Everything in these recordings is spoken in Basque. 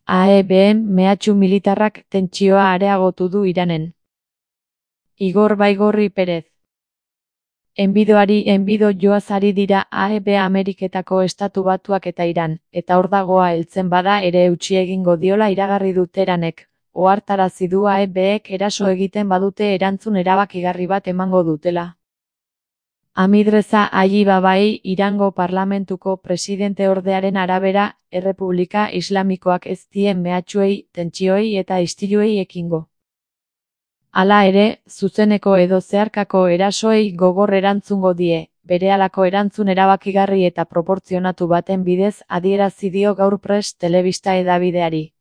AEBen mehatxu militarrak tentsioa areagotu du Iranen. Igor Baigorri Perez. Enbido joaz ari dira AEB Ameriketako Estatu Batuak eta Iran, eta hor dagoa heltzen bada ere eutsi egingo diola iragarri du Teheranek, ohartarazi du AEBek eraso egiten badute erantzun erabakigarri bat emango dutela. Hamidreza Allibabai Irango parlamentuko presidenteordearen arabera, Errepublika Islamikoak ez die mehatxuei, tentsioei eta istiluei ekingo. Hala ere, zuzeneko edo zeharkako erasoei gogor erantzungo die, berehalako erantzun erabakigarri eta proportzionatu baten bidez adierazi dio gaur Press telebista hedabideari.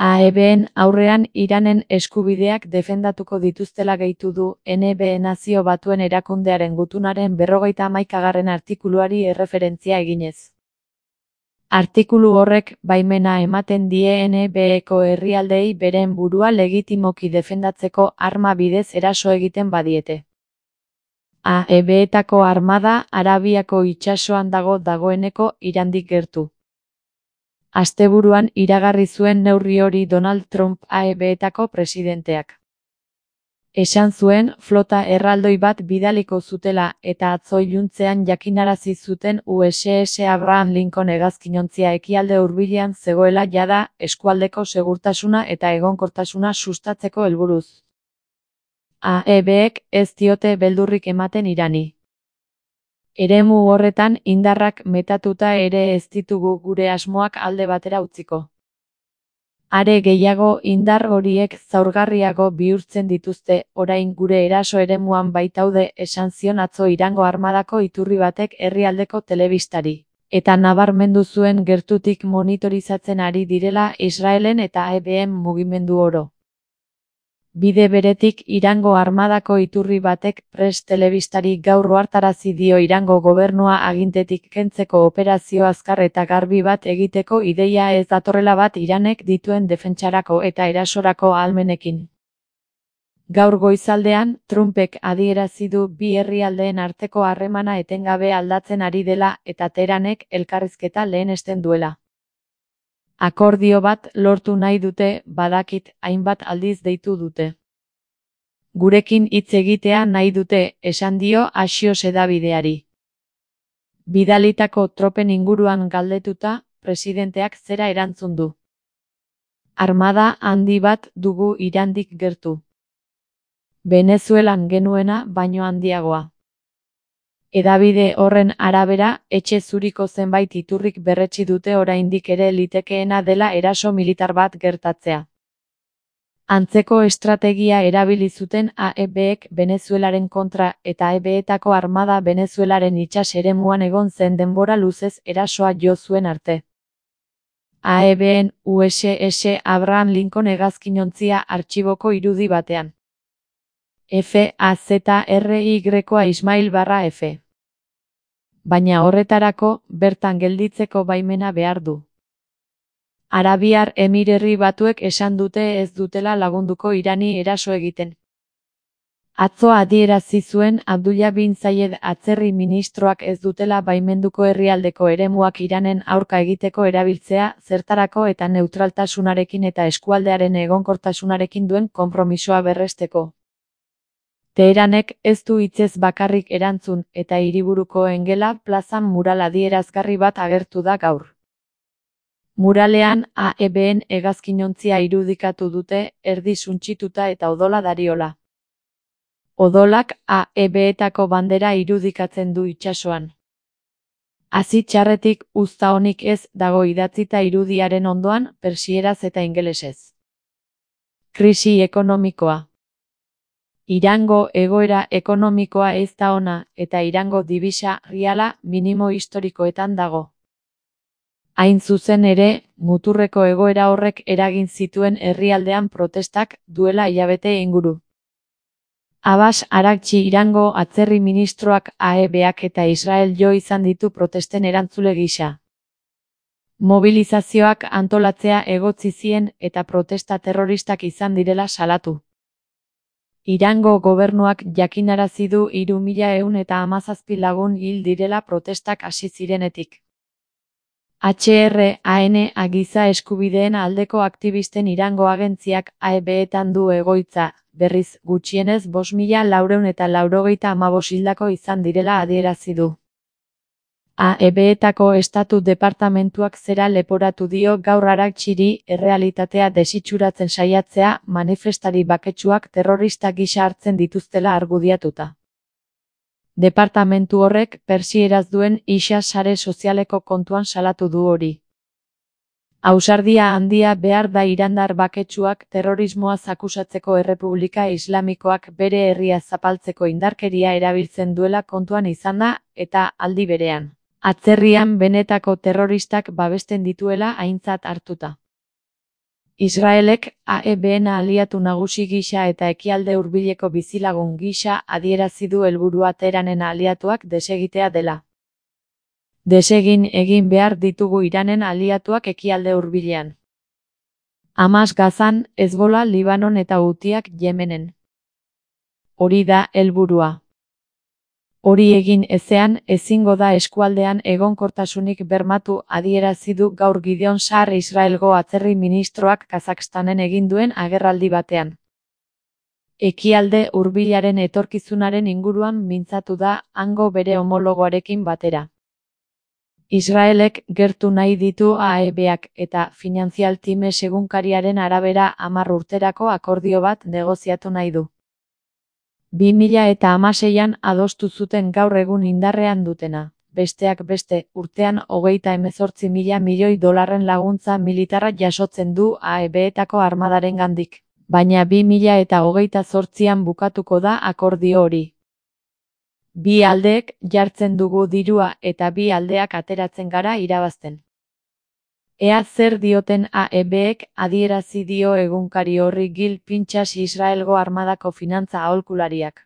AEBen aurrean Iranen eskubideak defendatuko dituztela gehitu du NB Nazio Batuen Erakundearen gutunaren 51. artikuluari erreferentzia eginez. Artikulu horrek baimena ematen die NBeko herrialdeei beren burua legitimoki defendatzeko arma bidez eraso egiten badiete. AEBetako armada Arabiako itsasoan dagoeneko Irandik gertu. Asteburuan iragarri zuen neurri hori Donald Trump AEBetako presidenteak. Esan zuen flota erraldoi bat bidaliko zutela eta atzo iluntzean jakinarazi zuten USS Abraham Lincoln hegazkinontzia ekialde hurbilean zegoela jada eskualdeko segurtasuna eta egonkortasuna sustatzeko helburuz. AEBek ez diote beldurrik ematen Irani. Eremu horretan indarrak metatuta ere ez ditugu gure asmoak alde batera utziko. Are gehiago indar horiek zaurgarriago bihurtzen dituzte, orain gure eraso eremuan baitaude, esan zion atzo Irango armadako iturri batek herrialdeko telebistari. Eta nabarmendu zuen gertutik monitorizatzen ari direla Israelen eta AEBen mugimendu oro. Bide beretik Irango armadako iturri batek Press telebistari gaur ohartarazi dio Irango gobernua agintetik kentzeko operazio azkar eta garbi bat egiteko ideia ez datorrela bat Iranek dituen defentsarako eta erasorako ahalmenekin. Gaur goizaldean, Trumpek adierazi du bi herrialdeen arteko harremana etengabe aldatzen ari dela eta Teheranek elkarrizketa lehenesten duela. Akordio bat lortu nahi dute, badakit, hainbat aldiz deitu dute. Gurekin hitz egitea nahi dute, esan dio Axios hedabideari. Bidalitako tropen inguruan galdetuta, presidenteak zera erantzun du. Armada handi bat dugu Irandik gertu. Venezuelan genuena baino handiagoa. Hedabide horren arabera, etxe zuriko zenbait iturrik berretsi dute oraindik ere litekeena dela eraso militar bat gertatzea. Antzeko estrategia erabili zuten AEBek Venezuelaren kontra eta AEBetako armada Venezuelaren itsas eremuan egon zen denbora luzez erasoa jo zuen arte. AEBen USS Abraham Lincoln hegazkinontzia artxiboko irudi batean. FAZRYA Ismail/F. Baina horretarako, bertan gelditzeko baimena behar du. Arabiar Emirerri Batuek esan dute ez dutela lagunduko Irani eraso egiten. Atzo adierazi zuen Abdullah bin Zayed atzerri ministroak ez dutela baimenduko herrialdeko eremuak Iranen aurka egiteko erabiltzea, zertarako eta neutraltasunarekin eta eskualdearen egonkortasunarekin duen konpromisoa berresteko. Teheranek ez du hitzez bakarrik erantzun eta hiriburuko Engela plazan mural adierazgarri bat agertu da gaur. Muralean AEBen hegazkinontzia irudikatu dute, erdi suntsituta eta odola dariola. Odolak AEBetako bandera irudikatzen du itsasoan. Hazi txarretik uzta onik ez dago idatzita irudiaren ondoan, persieraz eta ingelesez. Krisi ekonomikoa. Irango egoera ekonomikoa ez da ona, eta Irango dibisa riala minimo historikoetan dago. Hain zuzen ere, muturreko egoera horrek eragin zituen herrialdean protestak duela hilabete inguru. Abbas Araghchi Irango atzerri ministroak AEBak eta Israel jo izan ditu protesten erantzule gisa. Mobilizazioak antolatzea egotzi zien eta protesta terroristak izan direla salatu. Irango gobernuak jakinarazi du 3.117 lagun hil direla protestak hasi zirenetik. HRANA giza eskubideen aldeko aktivisten Irango agentziak AEB-etan du egoitza, berriz gutxienez 5.495 hildako izan direla adierazi du. AEB-etako estatu departamentuak zera leporatu dio gaur Arakchiri errealitatea desitxuratzen saiatzea manifestari baketsuak terrorista gisa hartzen dituztela argudiatuta. Departamentu horrek persieraz duen isa sare sozialeko kontuan salatu du hori. Ausardia handia behar da irandar baketsuak terrorismoaz akusatzeko Errepublika Islamikoak bere herria zapaltzeko indarkeria erabiltzen duela kontuan izanda eta aldi berean. Atzerrian benetako terroristak babesten dituela aintzat hartuta. Israelek AEB-en aliatu nagusi gisa eta ekialde hurbileko bizilagun gisa adierazi du helburua Teheranen aliatuak desegitea dela. Desegin egin behar ditugu Iranen aliatuak ekialde hurbilean. Hamas Gazan, Hezbollah Libanon eta Hutiak Yemenen. Hori da helburua. Hori egin ezean, ezingo da eskualdean egonkortasunik bermatu adierazi du gaur Gideon Sa'ar Israelgo atzerri ministroak Kazakstanen egin duen agerraldi batean. Ekialde hurbilaren etorkizunaren inguruan mintzatu da hango bere homologoarekin batera. Israelek gertu nahi ditu AEB-ak eta Financial Times egunkariaren arabera 10 urterako akordio bat negoziatu nahi du. 2016an adostu zuten gaur egun indarrean dutena, besteak beste, urtean 38.000 milioi dolarren laguntza militarra jasotzen du AEB-etako armadarengandik, baina 2028an bukatuko da akordio hori. Bi aldeek jartzen dugu dirua eta bi aldeak ateratzen gara irabazten. Ea zer dioten AEB-ek adierazi dio egunkari horri Gil Pinchas Israelgo armadako finantza aholkulariak.